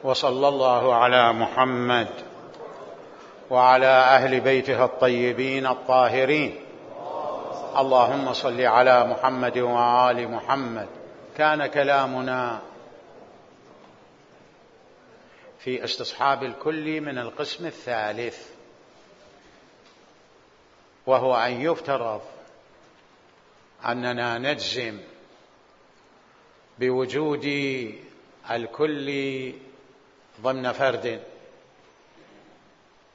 وصلى الله على محمد وعلى أهل بيته الطيبين الطاهرين. اللهم صل على محمد وآل محمد. كان كلامنا في استصحاب الكل من القسم الثالث، وهو أن يفترض أننا نجزم بوجود الكل ضمن فرد،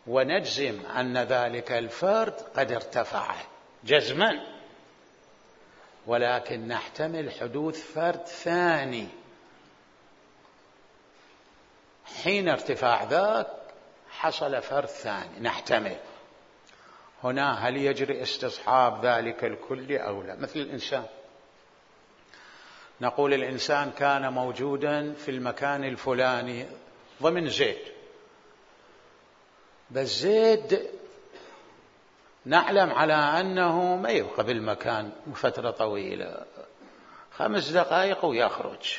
ونجزم أن ذلك الفرد قد ارتفع جزما، ولكن نحتمل حدوث فرد ثاني حين ارتفاع ذاك حصل فرد ثاني. نحتمل هنا هل يجري استصحاب ذلك الكل أو لا؟ مثل الإنسان، نقول الإنسان كان موجودا في المكان الفلاني ضمن زيد، بس زيد نعلم على أنه ما يبقى بالمكان فترة طويلة، 5 دقائق ويخرج،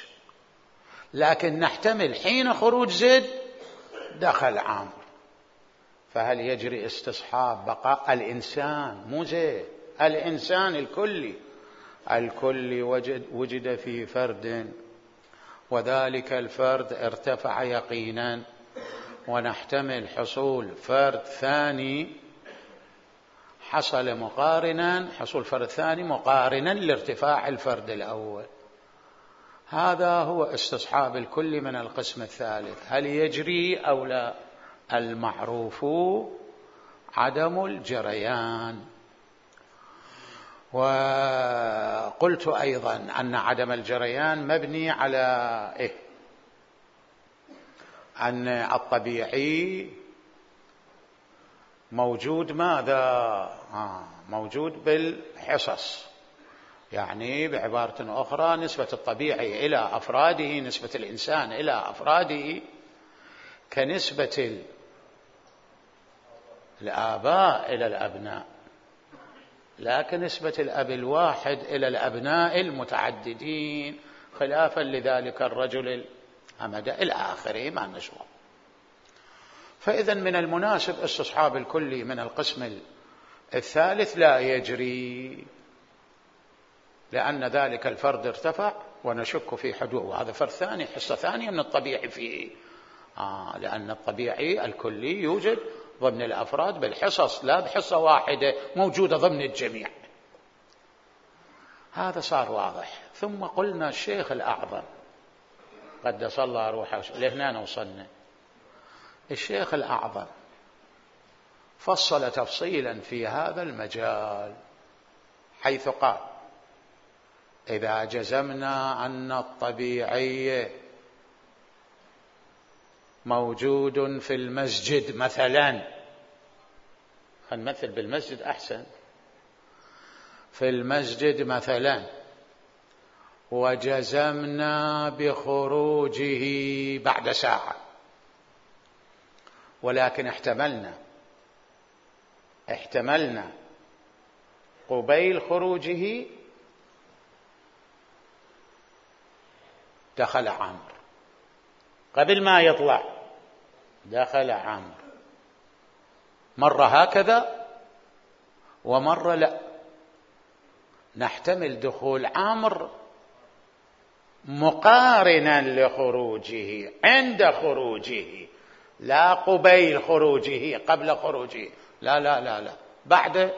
لكن نحتمل حين خروج زيد دخل عمرو. فهل يجري استصحاب بقاء الإنسان، مو زيد، الإنسان الكل وجد في فرد، وذلك الفرد ارتفع يقينا، ونحتمل حصول فرد ثاني حصول فرد ثاني مقارنا لارتفاع الفرد الأول. هذا هو استصحاب الكل من القسم الثالث. هل يجري أو لا؟ المعروف عدم الجريان. وقلت أيضا أن عدم الجريان مبني على أن الطبيعي موجود ماذا؟ موجود بالحصص، يعني بعبارة أخرى نسبة الطبيعي إلى أفراده، نسبة الإنسان إلى أفراده كنسبة الآباء إلى الأبناء، لا كنسبة الأب الواحد إلى الأبناء المتعددين، خلافا لذلك الرجل الأمد إلى آخره ما نشوف. فإذا من المناسب استصحاب الكل من القسم الثالث لا يجري، لأن ذلك الفرد ارتفع ونشك في حدوث، وهذا فرد ثاني، حصة ثانية من الطبيعي فيه، لأن الطبيعي الكلي يوجد ضمن الأفراد بالحصص، لا بحصة واحدة موجودة ضمن الجميع. هذا صار واضح. ثم قلنا الشيخ الأعظم قدس الله روحه، لهنا وصلنا. الشيخ الأعظم فصل تفصيلا في هذا المجال، حيث قال: إذا جزمنا أن الطبيعي موجود في المسجد مثلا، خلينا نمثل بالمسجد أحسن، في المسجد مثلا، وجزمنا بخروجه بعد ساعة، ولكن احتملنا قبيل خروجه دخل عمرو، قبل ما يطلع دخل عمرو، مرة هكذا ومرة لا. نحتمل دخول عمرو مقارنا لخروجه، عند خروجه، لا قبيل خروجه، قبل خروجه، لا لا لا لا، بعد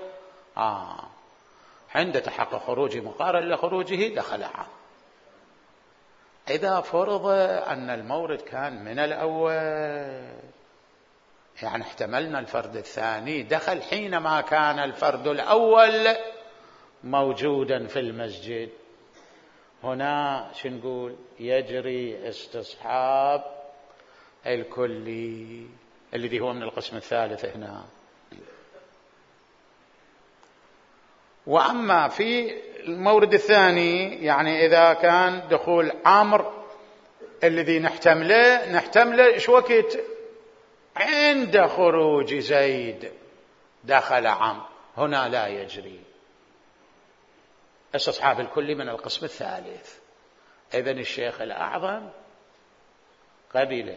عند تحقق خروجه مقارن لخروجه دخل عمرو. إذا فرض أن المورد كان من الأول، يعني احتملنا الفرد الثاني دخل حينما كان الفرد الأول موجودا في المسجد، هنا شو نقول؟ يجري استصحاب الكلي الذي هو من القسم الثالث هنا. وأما في المورد الثاني، يعني إذا كان دخول عمرو الذي نحتمله إيش وقت؟ عند خروج زيد دخل عمرو، هنا لا يجري استصحاب الكل من القسم الثالث. إذن الشيخ الأعظم قبل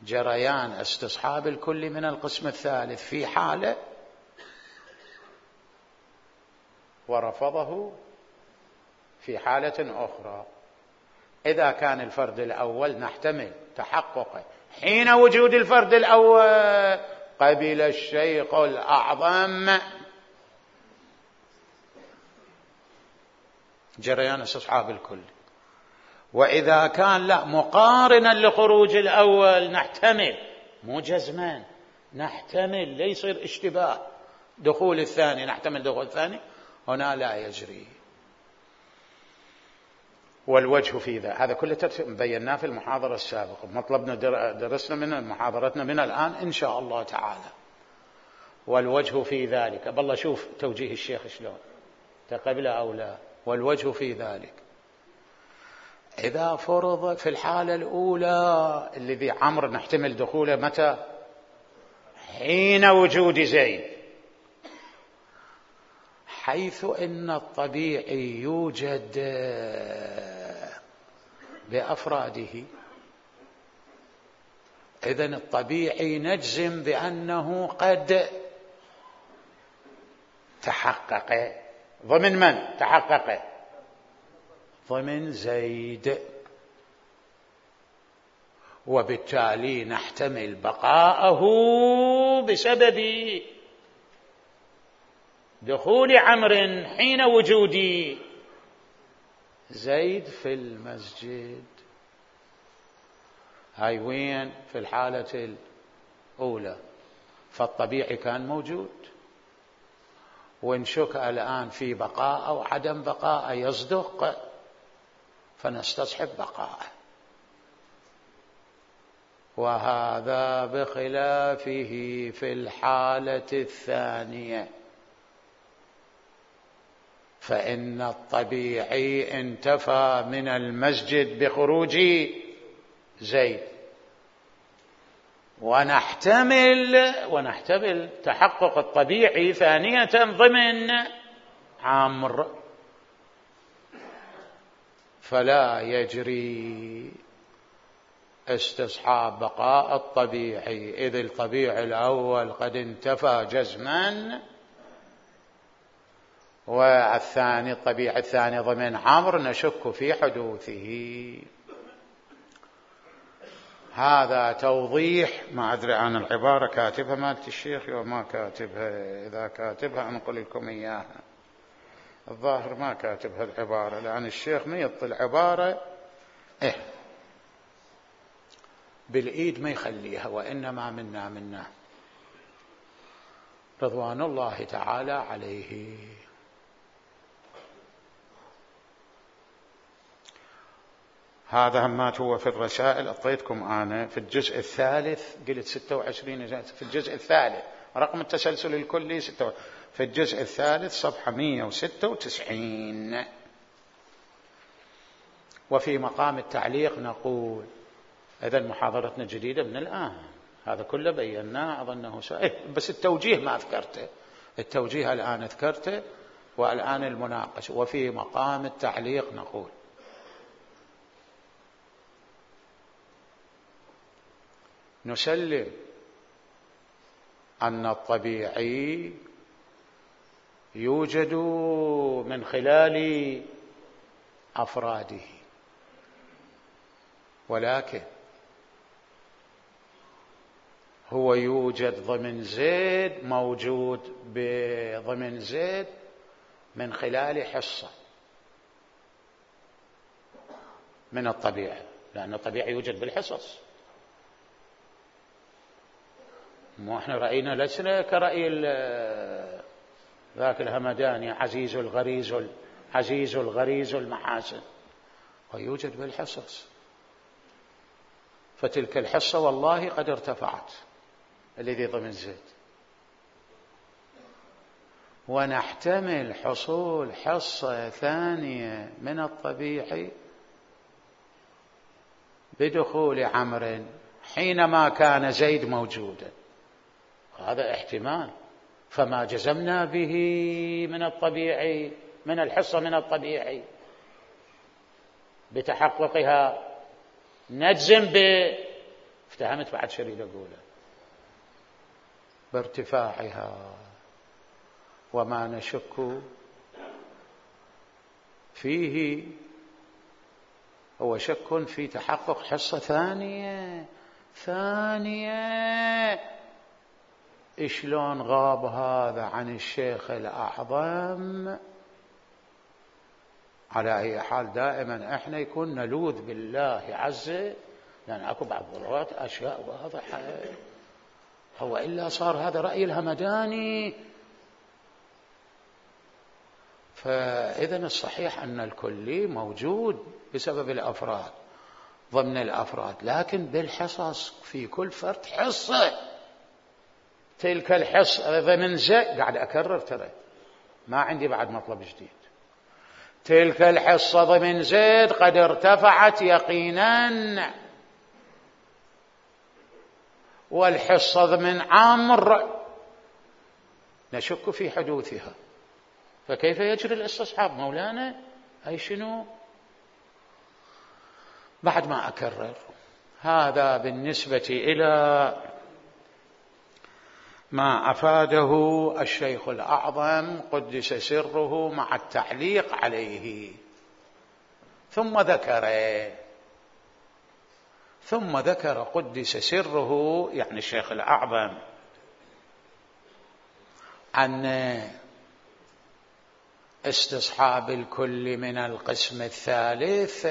جريان استصحاب الكل من القسم الثالث في حالة ورفضه في حالة أخرى. إذا كان الفرد الأول نحتمل تحققه حين وجود الفرد الأول قبل الشيخ الأعظم جريان استصحاب الكل. وإذا كان لا مقارنا لخروج الأول نحتمل مو جزما، نحتمل ليصير اشتباه دخول الثاني، نحتمل دخول الثاني، هنا لا يجري. والوجه في هذا كله بيناه في المحاضرة السابقة، مطلبنا درسنا من محاضرتنا من الآن إن شاء الله تعالى. والوجه في ذلك، بالله شوف توجيه الشيخ شلون تقبل أو لا. والوجه في ذلك إذا فرض في الحالة الأولى الذي عمرو نحتمل دخوله متى؟ حين وجود زيد، حيث إن الطبيعي يوجد بأفراده، إذن الطبيعي نجزم بأنه قد تحقق. ضمن من تحقق؟ ضمن زيد، وبالتالي نحتمل بقاءه بسبب دخول عمرو حين وجود زيد في المسجد. هاي وين؟ في الحالة الأولى، فالطبيعي كان موجود، ونشك الآن في بقاء أو عدم بقاء يصدق فنستصحب بقاءه. وهذا بخلافه في الحالة الثانية، فإن الطبيعي انتفى من المسجد بخروج زيد، ونحتمل تحقق الطبيعي ثانية ضمن عمرو، فلا يجري استصحاب بقاء الطبيعي، إذ الطبيعي الأول قد انتفى جزما، والثاني الطبيعي الثاني ضمن عمرو نشك في حدوثه. هذا توضيح، ما أدري عن العبارة كاتبها مالت الشيخ وما كاتبها، إذا كاتبها أنقل لكم إياها. الظاهر ما كاتبها العبارة، لأن الشيخ ما يطل العبارة بالإيد ما يخليها، وإنما منا رضوان الله تعالى عليه. هذا همات هو في الرسائل، أعطيتكم أنا في الجزء الثالث، قلت 26 في الجزء الثالث، رقم التسلسل الكلي 26، في الجزء الثالث صفحة 196. وفي مقام التعليق نقول إذا محاضرتنا جديدة من الآن، هذا كله بيناه أظنه بس التوجيه ما أذكرته، التوجيه الآن أذكرته، والآن المناقشة. وفي مقام التعليق نقول نسلم أن الطبيعي يوجد من خلال أفراده، ولكن هو يوجد ضمن زيد، موجود ضمن زيد من خلال حصة من الطبيعة، لأن الطبيعي يوجد بالحصص. مو احنا رأينا لسنا كرأي ذاك الهمداني عزيز الغريز المحاسن، ويوجد بالحصص. فتلك الحصة والله قد ارتفعت الذي ضمن زيد، ونحتمل حصول حصة ثانية من الطبيعي بدخول عمرو حينما كان زيد موجودا، هذا احتمال. فما جزمنا به من الطبيعي، من الحصة من الطبيعي بتحققها، نجزم افتهمت بعد شو اريد اقوله؟ بارتفاعها، وما نشك فيه هو شك في تحقق حصة ثانية. شلون غاب هذا عن الشيخ الأعظم؟ على أي حال دائما احنا يكون نلوذ بالله عز، لأن اكو بعض الضرورات أشياء واضحة، هو إلا صار هذا رأي الهمداني. فإذا الصحيح أن الكلي موجود بسبب الأفراد ضمن الأفراد، لكن بالحصص في كل فرد حصة. تلك الحصة ضمن قاعد أكرر، ترى ما عندي بعد مطلب جديد. تلك الحصة ضمن زيد قد ارتفعت يقينا، والحصة ضمن عمرو نشك في حدوثها، فكيف يجري الاستصحاب مولانا؟ أي شنو؟ بعد ما أكرر، هذا بالنسبة إلى ما أفاده الشيخ الأعظم قدس سره مع التعليق عليه. ثم ذكر قدس سره، يعني الشيخ الأعظم، أن استصحاب الكل من القسم الثالث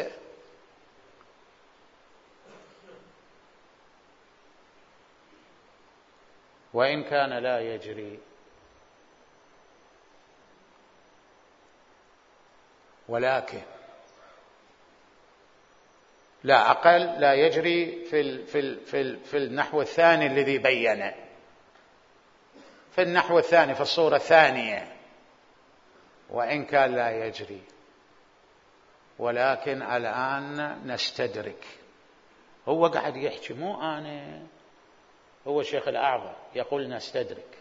وإن كان لا يجري، ولكن لا أقل لا يجري في النحو الثاني الذي بينه، في النحو الثاني في الصورة الثانية، وإن كان لا يجري، ولكن الآن نستدرك. هو قاعد يحكي مو أنا، هو الشيخ الأعظم يقول نستدرك،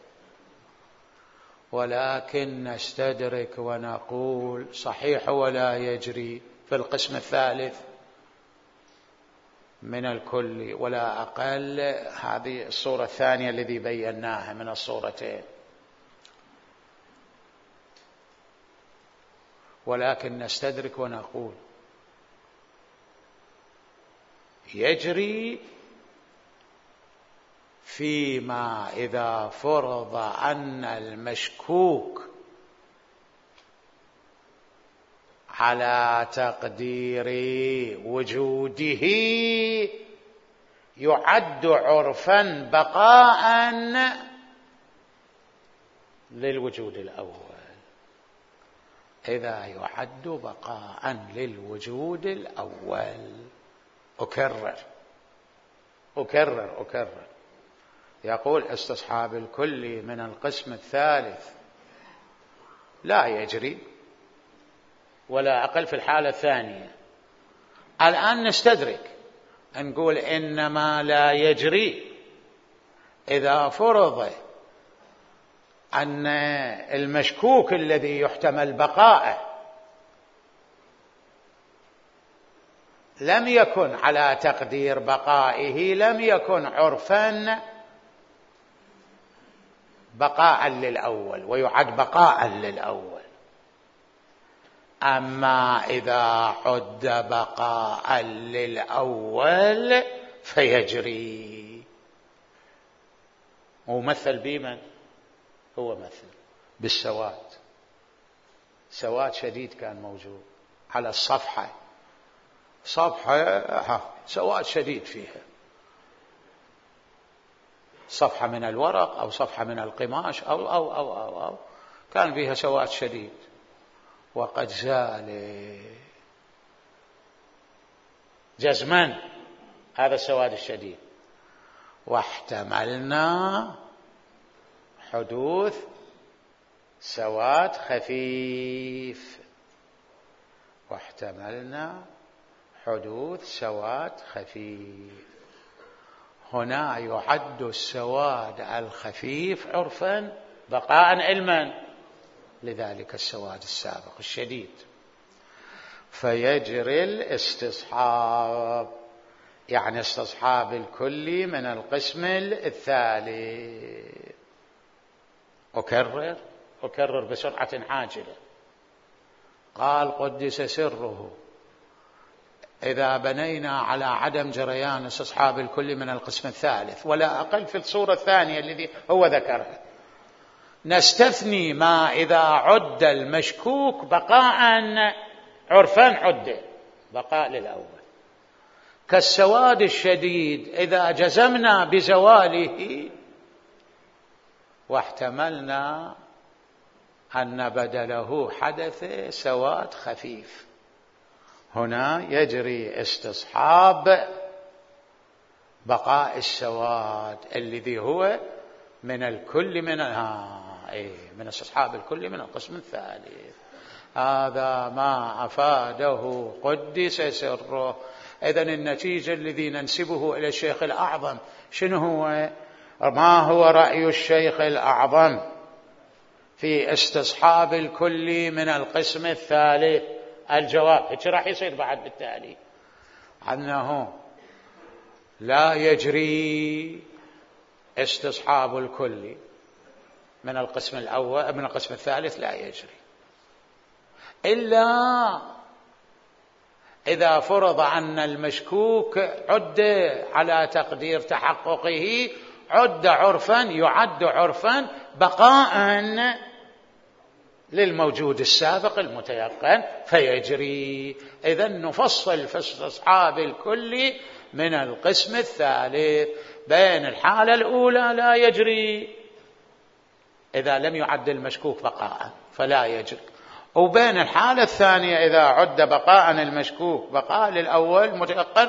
ولكن نستدرك ونقول صحيح ولا يجري في القسم الثالث من الكل، ولا أقل هذه الصورة الثانية الذي بيناها من الصورتين، ولكن نستدرك ونقول يجري فيما إذا فرض أن المشكوك على تقدير وجوده يعد عرفا بقاء للوجود الأول. إذا يعد بقاء للوجود الأول، أكرر، يقول استصحاب الكل من القسم الثالث لا يجري ولا أقل في الحالة الثانية. الآن نستدرك نقول إنما لا يجري إذا فرض أن المشكوك الذي يحتمل بقاءه لم يكن على تقدير بقائه، لم يكن عرفا بقاء للأول ويعد بقاء للأول. أما إذا عد بقاء للأول فيجري. ومثل بمن؟ هو مثل بالسواد، سواد شديد كان موجود على الصفحة، سواد شديد فيها، صفحة من الورق أو صفحة من القماش أو كان فيها سواد شديد، وقد زال جزما هذا السواد الشديد، واحتملنا حدوث سواد خفيف، هنا يعد السواد الخفيف عرفا بقاء علما لذلك السواد السابق الشديد، فيجري الاستصحاب يعني استصحاب الكلي من القسم الثالث. أكرر بسرعة عاجلة. قال قدس سره: إذا بنينا على عدم جريان استصحاب الكلي من القسم الثالث ولا أقل في الصورة الثانية الذي هو ذكرها، نستثني ما إذا عد المشكوك بقاء عرفا عد بقاء للأول، كالسواد الشديد إذا جزمنا بزواله واحتملنا أن بدله حدث سواد خفيف، هنا يجري استصحاب بقاء السواد الذي هو من الكل من استصحاب الكل من القسم الثالث. هذا ما أفاده قدس سره. إذن النتيجة الذي ننسبه إلى الشيخ الأعظم شنو هو؟ ما هو رأي الشيخ الأعظم في استصحاب الكل من القسم الثالث؟ الجواب هيك راح يصير بعد بالتالي أنه لا يجري استصحاب الكل من القسم الأول من القسم الثالث، لا يجري إلا إذا فرض أن المشكوك عد على تقدير تحققه عد عرفا، يعد عرفا بقاء للموجود السابق المتيقن فيجري. إذن نفصل في استصحاب الكل من القسم الثالث بين الحالة الأولى لا يجري إذا لم يعد المشكوك بقاء فلا يجري، وبين الحالة الثانية إذا عد بقاء المشكوك بقاء للأول متيقن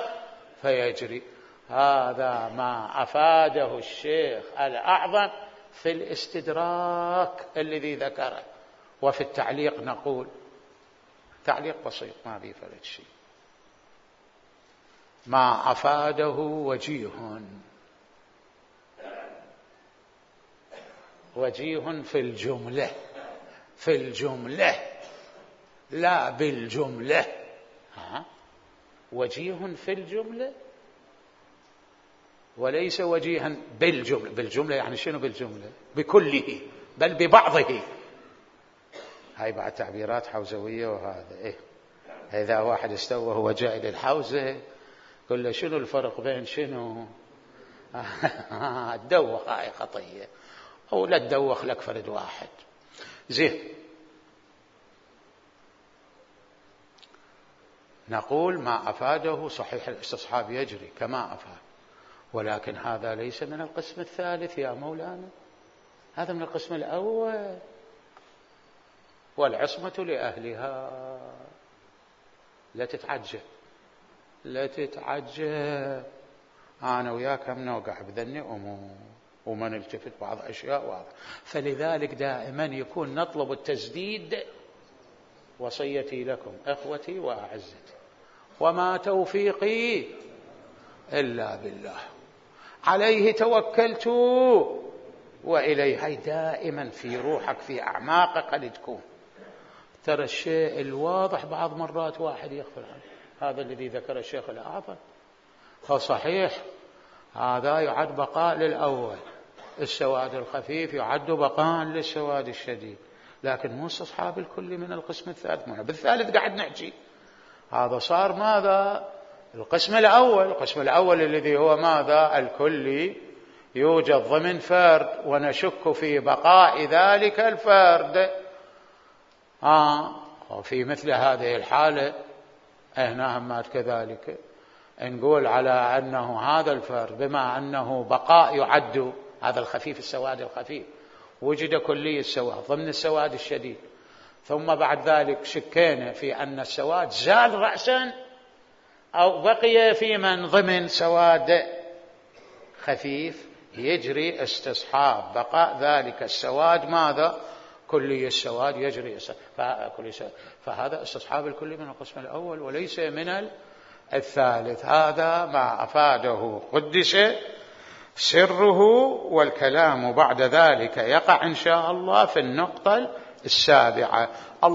فيجري. هذا ما أفاده الشيخ الأعظم في الاستدراك الذي ذكره. وفي التعليق نقول تعليق بسيط ما بيه فلت شيء: ما أفاده وجيه في الجملة لا بالجملة. وجيه في الجملة وليس وجيها بالجملة. بالجملة يعني شنو بالجملة؟ بكله بل ببعضه. هاي بعد تعبيرات حوزوية. وهذا إذا واحد استوى هو جاء إلى الحوزة قل له شنو الفرق بين شنو؟ تدوخ هاي خطية، أو لا تدوخ لك فرد واحد. زين، نقول ما أفاده صحيح الاستصحاب يجري كما أفاد، ولكن هذا ليس من القسم الثالث يا مولانا، هذا من القسم الأول، والعصمة لأهلها. لا تتعجب أنا وياك هم نوقع بذني أمور وما نلتفت بعض أشياء واضحة. فلذلك دائما يكون نطلب التسديد. وصيتي لكم أخوتي وأعزتي وما توفيقي إلا بالله عليه توكلت وإليه. هاي دائما في روحك في أعماقك قد تكون. ترى الشيء الواضح بعض مرات واحد يغفل عنه، هذا الذي ذكر الشيخ الأعظم. فصحيح هذا يعد بقاء للأول، السواد الخفيف يعد بقاء للسواد الشديد، لكن مو استصحاب الكل من القسم الثالث. بالثالث قاعد نحكي هذا صار ماذا؟ القسم الأول الذي هو ماذا؟ الكلي يوجد ضمن فرد ونشك في بقاء ذلك الفرد. وفي مثل هذه الحالة هنا همات كذلك نقول على أنه هذا الفرد بما أنه بقاء يعد هذا الخفيف السواد الخفيف وجد كلي السواد ضمن السواد الشديد، ثم بعد ذلك شكينا في أن السواد زال رأسا أو بقي في من ضمن سواد خفيف، يجري استصحاب بقاء ذلك السواد ماذا؟ كلي السواد يجري فهذا استصحاب الكلي من القسم الأول وليس من الثالث. هذا ما أفاده قدس سره. والكلام بعد ذلك يقع إن شاء الله في النقطة السابعة.